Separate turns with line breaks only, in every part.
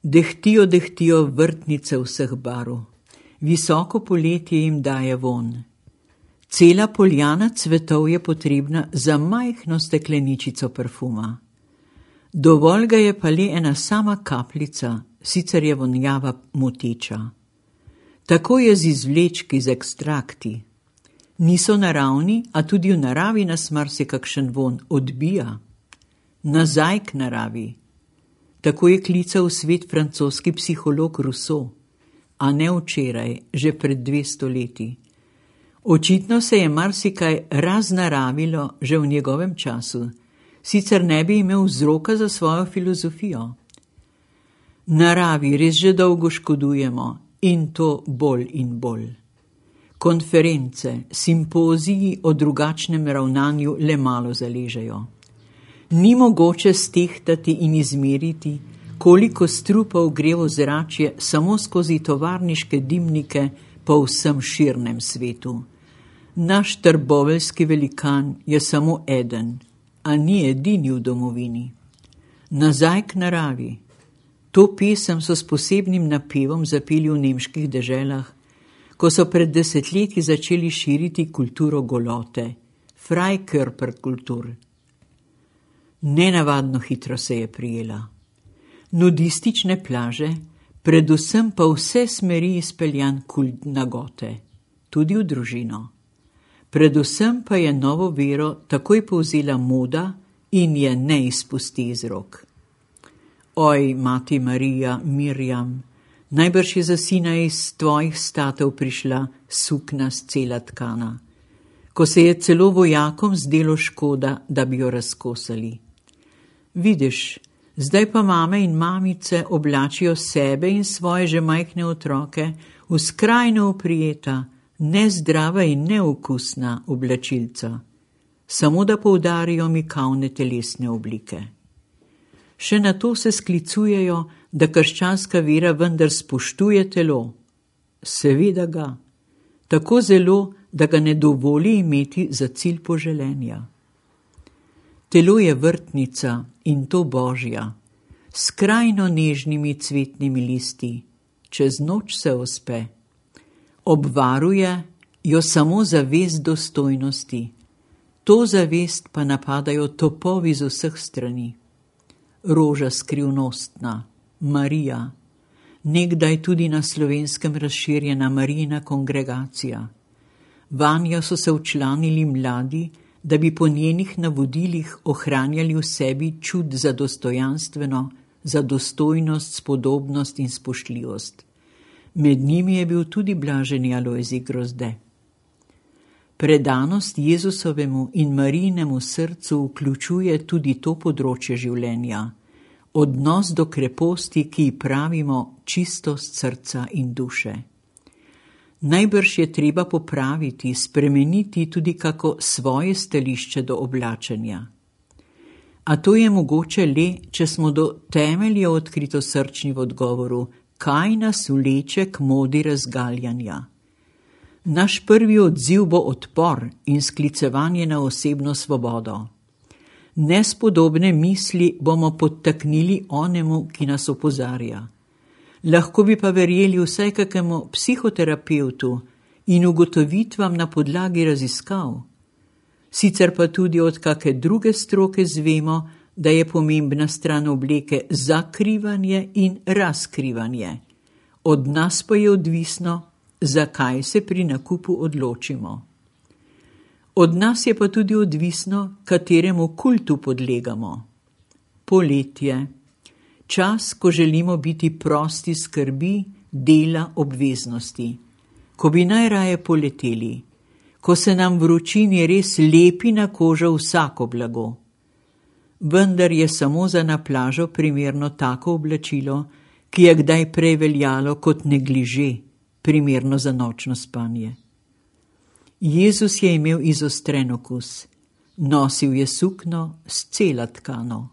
Dehtijo vrtnice vseh barv. Visoko poletje jim daje vonj. Cela poljana cvetov je potrebna za majhno stekleničico parfuma. Dovolj ga je pa le ena sama kapljica, sicer je vonjava moteča. Tako je z izvlečki, z ekstrakti. Niso naravni, a tudi v naravi nas marsikakšen vonj odbija. Nazaj k naravi. Tako je klical v svet francoski psiholog Rousseau, a ne včeraj, že pred 200 leti. Očitno se je marsikaj raznaravilo že v njegovem času, sicer ne bi imel vzroka za svojo filozofijo. Naravi res že dolgo škodujemo, in to bolj in bolj. Konference, simpoziji o drugačnem ravnanju le malo zaležejo. Ni mogoče stehtati in izmeriti, koliko strupov gre v ozračje samo skozi tovarniške dimnike po vsem širnem svetu. Naš trboveljski velikan je samo eden, a ni edini v domovini. Nazaj k naravi. To pesem so s posebnim napevom zapeli v nemških deželah, ko so pred desetletji začeli širiti kulturo golote, Freikörperkultur. Nenavadno hitro se je prijela. Nudistične plaže, predvsem pa vse smeri izpeljan kult nagote, tudi v družino. Predvsem pa je novo vero takoj povzela moda in je ne izpusti iz rok. Oj, mati Marija, Mirjam, najbrž je za sina iz tvojih statov prišla sukna scela tkana, ko se je celo vojakom zdelo škoda, da bi jo razkosali. Vidiš, zdaj pa mame in mamice oblačijo sebe in svoje že majhne otroke v skrajno oprijeta, nezdrava in neokusna oblačilca, samo da poudarijo mikavne telesne oblike. Še na to se sklicujejo, da krščanska vera vendar spoštuje telo. Seveda ga, tako zelo, da ga ne dovoli imeti za cilj poželenja. Telo je vrtnica in to božja, s skrajno nežnimi cvetnimi listi, čez noč se ospe. Obvaruje jo samo zavest dostojnosti, to zavest pa napadajo topovi z vseh strani. Roža skrivnostna, Marija, nekdaj tudi na Slovenskem razširjena Marijina kongregacija. Vanjo so se včlanili mladi, da bi po njenih navodilih ohranjali v sebi čut za dostojanstveno, za dostojnost, spodobnost in spoštljivost. Med njimi je bil tudi blaženi Alojzij Grozde. Predanost Jezusovemu in Marijinemu srcu vključuje tudi to področje življenja, odnos do kreposti, ki ji pravimo čistost srca in duše. Najbrž je treba popraviti, spremeniti tudi kako svoje stališče do oblačenja. A to je mogoče le, če smo do temelja odkritosrčni v odgovoru, kaj nas vleče k modi razgaljanja. Naš prvi odziv bo odpor in sklicevanje na osebno svobodo. Nespodobne misli bomo podtaknili onemu, ki nas opozarja. Lahko bi pa verjeli vsaj kakemu psihoterapevtu in ugotovitvam na podlagi raziskav. Sicer pa tudi od kake druge stroke zvemo, da je pomembna stran obleke zakrivanje in razkrivanje. Od nas pa je odvisno, zakaj se pri nakupu odločimo. Od nas je pa tudi odvisno, kateremu kultu podlegamo. Poletje. Čas, ko želimo biti prosti skrbi, dela, obveznosti. Ko bi najraje poleteli. Ko se nam vročini res lepi na kožo vsako blago. Vendar je samo za na plažo primerno tako oblačilo, ki je kdaj prej veljalo kot negliže, primerno za nočno spanje. Jezus je imel izostren okus. Nosil je sukno scela tkano.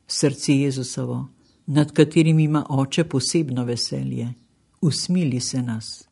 Srce Jezusovo, nad katerim ima Oče posebno veselje, usmili se nas.